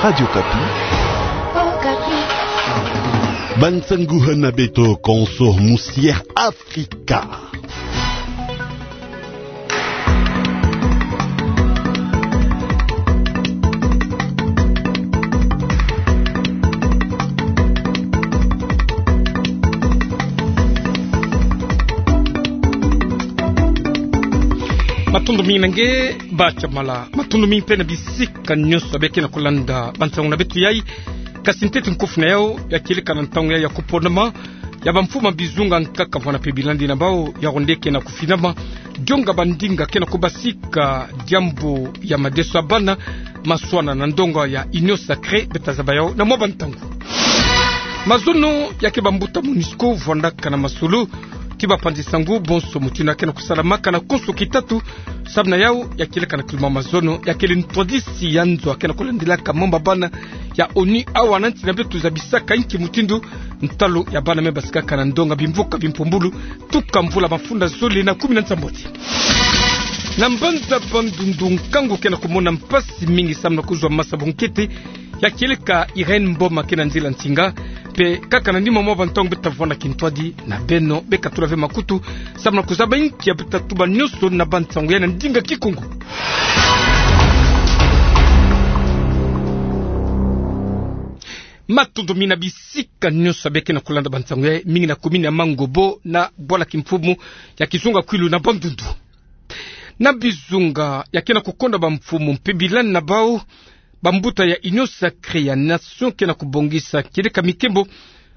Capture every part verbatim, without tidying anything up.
Radio Okapi. Okapi. Bansangu hana beto konso musi'e Afrika. Matondo mingi na nge, Bacha Mala. Matondo mingi mpe na bisika nyonso beke na kolanda bansangu na beto yai. Kasi ntete nkofu na yau, ya kieleka na ntangu yai ya kuponama ya bamfumu ya bizunga nkaka vwanda mpe bilandi na bau, yau nde ke na kufinama. Dionga bandinga ke na kubasika diambu ya madeso ya bana maswana na ndonga ya Union Sacrée, beta zaba yau na mwa bantangu. Mazono ya ke bambuta MONUSCO vwandaka na masolo ti bapanzi sangu bonso mutindu ya ke na kusalamaka na konso kitatu. Samu na yau, ya kieleka na kiluma mazono, ya kele ntwadisi ya nzo ya ke na kulandilaka mambu ya bana ya ONU awa na nsi na beto zabisaka inki mutindu ntalu ya bana me basikaka na ndonga bimvuka bimpumbulu tuka mvula mafunda zole na kumi na nsambwadi. Na mbanza Bandundu, nkangu ke na kumona mpasi mingi samu na kuzwa masa bunkete, ya kieleka Irène Mboma ke na nzila nsinga. Mpe kaka na nima mwa bantangu beta vwanda kintwadi na beno, beka tula ve makutu samu na kuzaba inki ya beta tuba nyonso na bansangu yai na ndinga Kikongo. Matondo mingi na bisika nyonso beke na kulanda bansangu yai, mingi na commune ya Mangobo na bwala kimfumu ya Kizunga Kwilu na Bandundu. Na bizunga ya ke na kukonda bamfumu mpe bilandi na bau, bambuta ya Union Sacrée ya Nation ke na kubongisa kieleka mikembo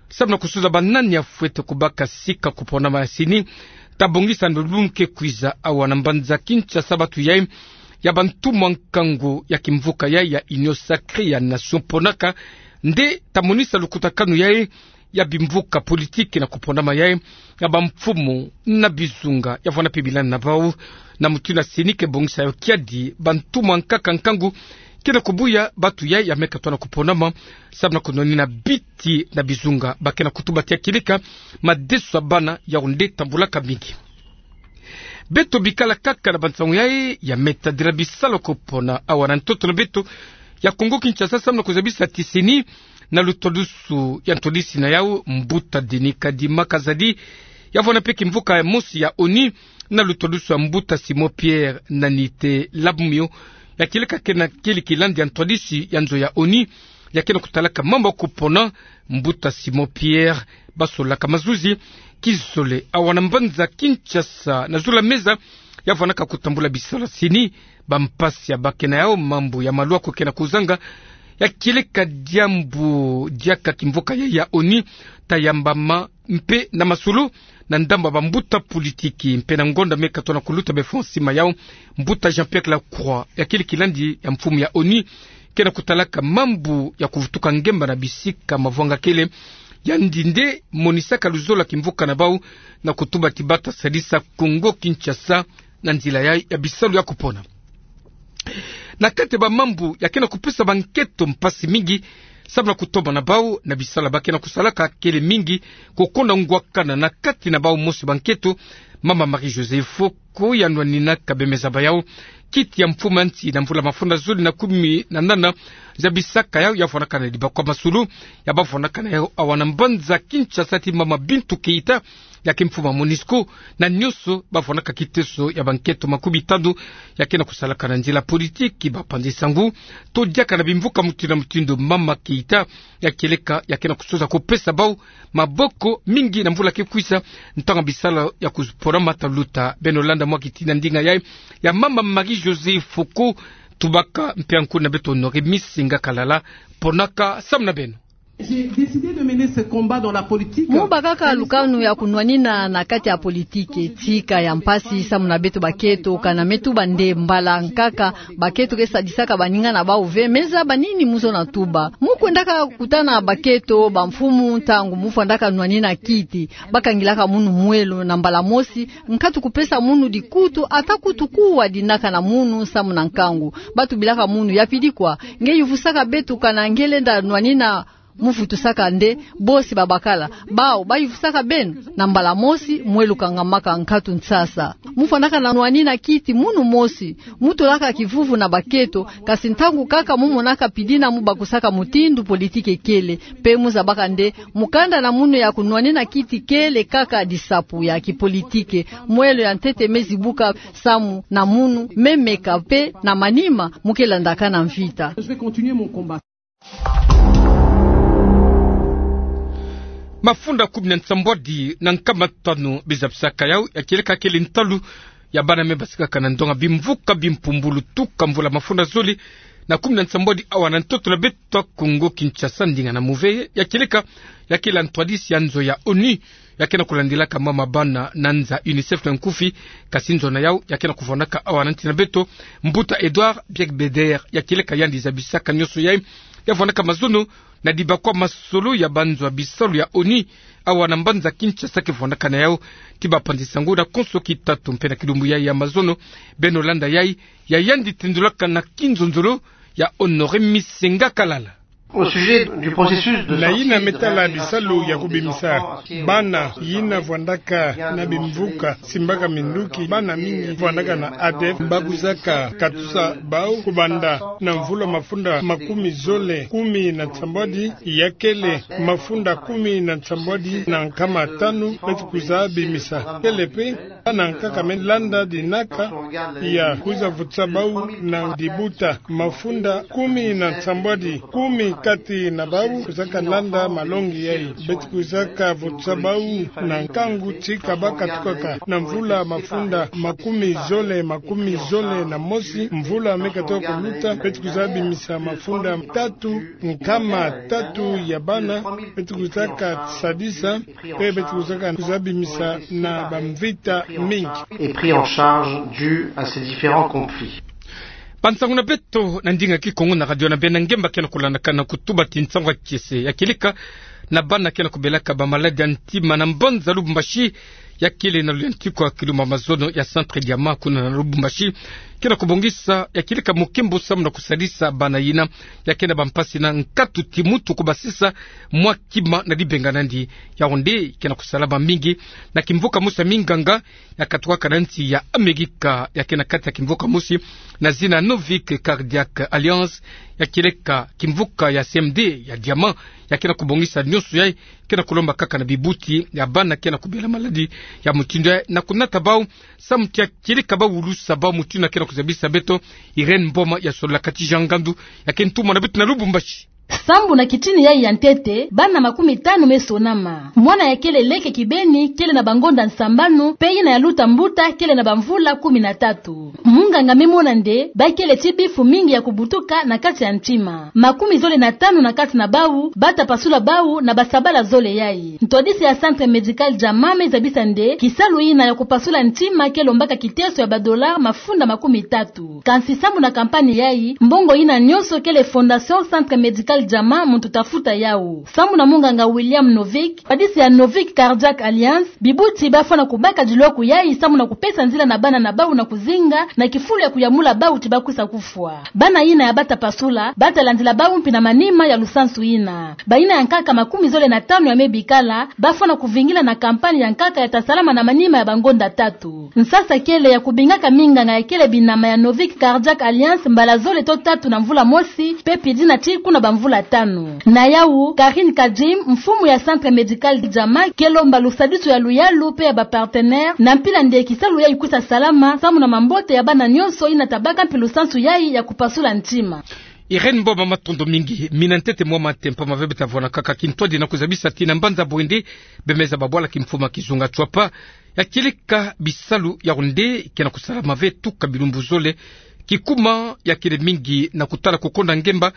samu na kusuza banani ya fwete kubaka sika kuponama ya CENI, ta bongisa na lumbu ke kwiza awa na mbanza Kinshasa. Batu yai ya bantumwa nkangu ya kimvuka yai ya Union Sacrée ya Nation ponaka nde ta monisa lukutakanu yai ya bimvuka politiki na kuponama yai ya bamfumu na bizunga ya vwanda mpe bilandi na bau, na mutindu CENI ke bongisa yau kiadi bantumwa nkaka nkangu ke na kubuya batu yai ya meka twa na kuponama samu na kunwanina biti na bizunga ba ke na kutuba ti ya kieleka madeso ya bana, yau nde tambulaka mingi. Beto bikala kaka na bansangu yai ya me tadila bisalu ya kupona awa na ntoto na beto ya Kongo Kinshasa samu na kuzabisa ti CENI, na lutwadusu ya ntwadisi na yau, mbuta Denis Kadima Kazadi, ya vwanda mpe kimvuka ya mosi ya ONU, na lutwadusu ya mbuta Simon Pierre Nanite Labumio, ya kieleka ke na kele kilandi ya ntwadisi ya nzo ya ONU ya ke na kutalaka mambu ya kupona. Mbuta Simon Pierre, basolaka mazuzi kizole awa na mbanza Kinshasa na zulu ya meza ya vwandaka kutambula bisalu ya CENI, bampasi ya ba ke na yau, mambu ya maluaku ke na kuzanga, ya kieleka diambu diaka kimvuka yai ya ONU ta yambama mpe na masolo na ndambu ya bambuta politiki. Mpe na ngonda meka twa na kuluta befo nsima yau, mbuta Jean-Pierre Lacroix, ya kele kilandi ya mfumu ya ONU, ke na kutalaka mambu ya kuvutuka ngemba na bisika mavwanga kele, yandi nde monisaka luzolo ya kimvuka na bau na kutuba ti bata sadisa Kongo Kinshasa na nzila yai ya bisalu ya kupona. Na kati ya bamambu ya ke na kupesa bankento mpasi mingi samu na kutomba na bau na bisalu ba ke na kusalaka, kele mingi kukonda ngwakana na kati na bau. Mosi bankento, mama Marie-Josée Foko, ya nwaninaka, bemeza ba yau kiti ya mfumu ya nsi na mvula mafunda zole na kumi na nana, zabisaka yau ya vwandaka na dibakwa masulu ya ba vwandaka na yau awa na mbanza Kinshasa ti mama Bintou Keita, ya ke mfumu ya MONUSCO, na nyonso ba vwandaka kiteso ya bankento makumi tanu ya ke na kusalaka na nzila politiki, bapanzi sangu, to diaka na bimvuka mutindu na mutindu. Mama Keita, ya kieleka, ya ke na kusosa kupesa bau maboko mingi na mvula ke kwiza, ntangu ya bisalu ya kuponama ta luta. Beno landa mwa kiti na ndinga yai ya mama Marie-Josée Foko, tubaka mpe ya nkuna beto Honoré Misinga Kalala, ponaka samu na beno. J'ai décidé de mener ce combat dans la politique. Mu bakaka lukanu ya kunwanina na kati ya politiki. Tika ya mpasi samu na beto bakento, kana me tuba nde mbala nkaka bakento ke sadisaka baninga na bau ve. Me zaba nini mu zona tuba. Mu kwendaka kutana bakento bamfumu ntangu mu vwandaka nwanina kiti. Ba kangilaka munu mwelo na mbala mosi, nkatu kupesa munu dikutu, ata kutu kuwa dinaka na munu samu na nkangu. Ba tubilaka munu: ya pidi kwa, nge yuvusaka beto kana nge lenda nwanina Mu vutusaka nde bosi babakala. Bawu bayuvusaka beno. Na mbala mosi, mwelo kangamaka nkatu nsasa. Mu fwanaka na nwanina kiti munu mosi. Mu tulaka kivuvu na baketo, kasi ntangu kaka mu monaka pidina mu bakusaka mutindu politiki ekele. Mpe mu zabaka nde mukanda na munu ya kunwanina kiti kele kaka disapu ya kipolitiki. Mwelo ya ntete me zibuka samu na munu, me meka mpe na manima mu ke landaka na mvita. Mafunda kumi na nsambwadi na nkama tanu bizabisaka yawu, ya kieleka kele ntalu ya bana me basikaka na ndonga bimvuka bimpumbulu tuka mvula mafunda zole na kumi na nsambwadi awa na ntoto na beto ya Kongo Kinshasa, ndinga na move, ya kieleka ya kele ntwadisi ya nzo ya onu ya ke na kulandilaka mama bana na nza, UNICEF na nkufi. Kasi nzo na yawu ya ke na kuvwandaka awa na nsi na beto, mbuta Edouard Biegbeder, ya kieleka yandi zabisaka nyonso yayi, ya vwandaka mazono na dibakwa masolo ya banzo ya bisalu ya onu awa na mbanza Kinshasa ke vwandaka na yawu ti bapanzi sango na konso kitatu. Mpe na kilumbu yayi ya mazono, beno landa yayi, ya yandi tindulaka na kinzonzolo ya Honoré Misenga Kalala. Au sujet du processus de... Na yina me tala bisalu ya kubimisa bana yina vwandaka na bimvuka simbaka minduki, bana mingi vwandaka na ADEF, bakuzaka katusa bawu kubanda na mvula mafunda makumi zole kumi na nsambwadi, ya kele mafunda kumi na nsambwadi na nkama tanu, beti kwiza bimisa. Kele mpe bana nkaka me landa dinaka ya kwiza vutisa bawu na dibuta. Mafunda kumi na nsambwadi, kumi kati na bawu kwizaka landa malongi yayi. Beti kwizaka vutisa bawu na nkangu ti kabaka tukaka na mvula mafunda makumi zole, makumi zole na mosi. Mvula me katuka kuluta, beti kwiza bimisa mafunda tatu, nkama tatu ya bana beti kwizaka sadisa, mpe beti kwizaka kwiza bimisa na bamvita mingi. Et pris en charge dû à ces différents conflits. Bansangu na beto na ndinga Kikongo na radio na beno ngemba ke na kulandaka na kutuba ti nsangu ya kiese ya kieleka na bana ke na kubelaka bamaladi ya ntima na mbanza Lubumbashi, ya kele na luyantiku ya kilumbu ya mazono ya Centre Diamant kuna na Lubumbashi, ke na kubongisa ya kieleka mukimbu samu na kusadisa bana yina ya ke na bampasi na nkatu ti mutu kubasisa mwa kima na dibenga nandi. Yawu nde ke na kusalama mingi na kimvuka mosi ya minganga ya katukaka na nsi ya Amerika, ya ke na kati ya kimvuka mosi na zina Novik Cardiac Alliance, ya kieleka kimvuka ya C M D ya Diamant, ya ke na kubongisa nyonso yayi, ke na kulomba kaka na bibuti ya bana ke na kubela maladi ya mutindu yayi na kunata bawu samu ti ya kieleka bawulusa bawu, mutindu ya ke na kuzabisa beto Irène Mboma ya sololaka ti Jean Ngandu, ya ke ntumwa na beto na Lubumbashi. Sambu na kitini yayi ya ntete, bana makumi tanu me sonama. Mwana ya kele leke kibeni kele na bangonda nsambanu, mpe yina ya luta mbuta kele na bamvula kumi na tatu. Munganga me mona nde bakele ti bifu mingi ya kubutuka na kati ya ntima. Makumi zole na tanu na kati na bawu bata pasula bawu na basabala zole yayi. Ntwadisi ya Centre Médical Diamant me zabisa nde kisalu yina ya kupasula ntima ke lombaka kiteso ya badola mafunda makumi tatu. Kansi sambu na kampani yayi, mbongo yina nyonso kele Fondation Centre Médical Diamant muntu ta futa yawu. Sambu na munganga William Novik, ntwadisi ya Novik Cardiac Alliance, bibuti bafwana kubaka dilwaku yayi samu na kupesa nzila na bana na bawu na kuzinga na kifulu ya kuyamula bawu ti bakwisa kufwa. Bana yina ya bata pasula bata landila bawu mpi na manima ya lusansu yina. Bayina ya nkaka makumi zole na tanu ya me bikala bafwana kuvingila na kampani ya nkaka ya ta salama na manima ya bangonda tatu. Nsasa kele ya kubingaka minganga ya kele binama ya Novik Cardiac Alliance mbala zole to tatu na mvula mosi, mpe pidina ti kuna bamvula tanu. Na yawu, Karine Kadjim, mfumu ya Centre Médical Diamant, ke lomba lusadisu ya luyalu mpe ya bapartenaire, na mpila nde kisalu yayi kwisa salama samu na mambote ya bana nyonso yina ta baka mpi lusansu yayi ya kupasula ntima. Irène Mboma, matondo mingi. Mina ntete mwa matempa mave beta vwanakaka kintwadi na kuzabisa ti na mbanza Bwindi, bemeza babwala kimfumu ya kizunga Tswapa, ya kieleka bisalu yawu nde ke na kusalama ve tuka bilumbu zole. Kikuma ya kele mingi na kutala kukonda ngemba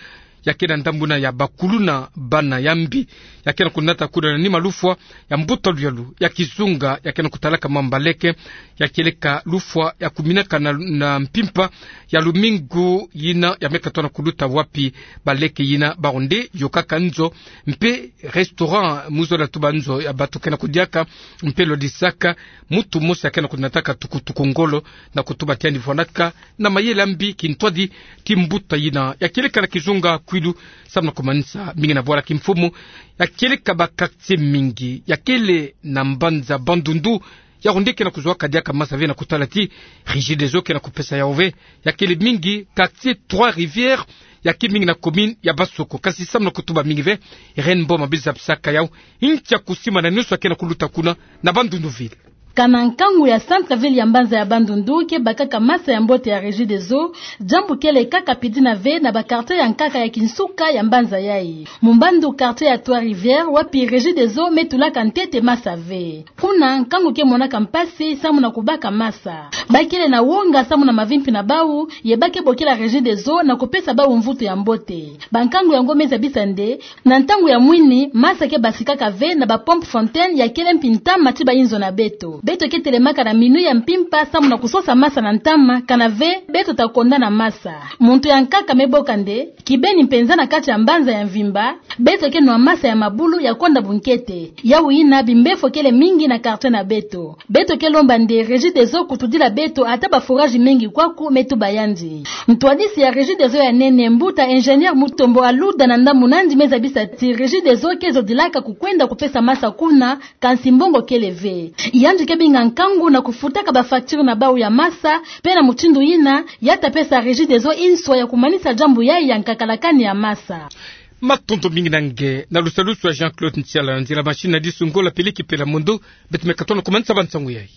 ya ke na ndambu yina ya bakuluna bana ya mbi, ya ke na kunata kuna na nima lufwa ya mbuta luyalu ya kizunga ya ke na kutalaka mama baleke, ya kieleka lufwa ya kuminaka na, na mpimpa ya lumingu yina ya me katoka na kuluta, wapi baleke yina bawu nde yokaka nzo mpe restaurant, mu zola tuba nzo ya batu ke na kudiaka mpe lodisaka. Mutu mosi ya ke na kunataka tukutuku ngolo na kutuba ti yandi vwanaka na mayela mbi kintwadi ti mbuta yina ya kieleka na kizunga kwilu, samu na kumanisa mingi na bwala kimfumu, ya kieleka ba quartier mingi ya kele na mbanza Bandundu, ya onde ke na kuzwaka diaka masa ve na kutala ti Regideso ke na kupesa yau ve. Ya kele mingi quartier Trois Rivières, ya ke mingi na commune ya Bansoko. Kasi samu na kutuba mingi ve, Irène Mboma me zabisaka yau ntia kusimbana na nyonso ya ke na kuluta kuna na Bandundu ville. Kana nkangu ya centre-ville ya mbanza ya Bandundu ke bakaka masa ya mbote ya Regideso, diambu kele kaka pidina ve na ba quartier ya nkaka ya kinsuka ya mbanza yai. Mumbandu quartier ya Trois Rivières, wapi Regideso me tulaka ntete masa ve. Kuna nkangu ke monaka mpasi samu na kubaka masa. Ba kele na wonga samu na mavimpi na bau, ye ba ke bokila Regideso na kupesa bau mvutu ya mbote. Ba nkangu yango me zabisa nde, na ntangu ya mwini, masa ke basikaka ve na ba pompe fontaine ya kele mpi ntama ti ba inzo na beto. Beto ke telemaka na minuit ya mpimpa samu na kusosa masa na ntama, kana ve beto ta konda na masa. Muntu ya nkaka me boka nde, kibeni mpenza na kati ya mbanza ya mvimba, beto ke nwa masa ya mabulu ya konda bunkete. Yau yina bimbefo kele mingi na quartier na beto. Beto ke lomba nde Regideso kutudila beto ata ba forage mengi kwaku, me tuba yandi. Ntwadisi ya Regideso ya nene, mbuta ingénieur Mutombo Aluda, na ndambu na yandi me zabisa ti Regideso ke zodilaka kukwenda kupesa masa kuna, kansi mbongo kele ve. Yandi ke binga nkangu na kufutaka ba facture na bau ya masa, pe na mutindu yina, ya ta pesa Regideso inswa ya kumanisa diambu yai ya nkakalakani ya masa. Matondo mingi na nge, na lusalusu ya Jean-Claude Ntiala, nzila machine na disungo la peleki pela mondo, beto me katono kumanisa ba nsangu yai.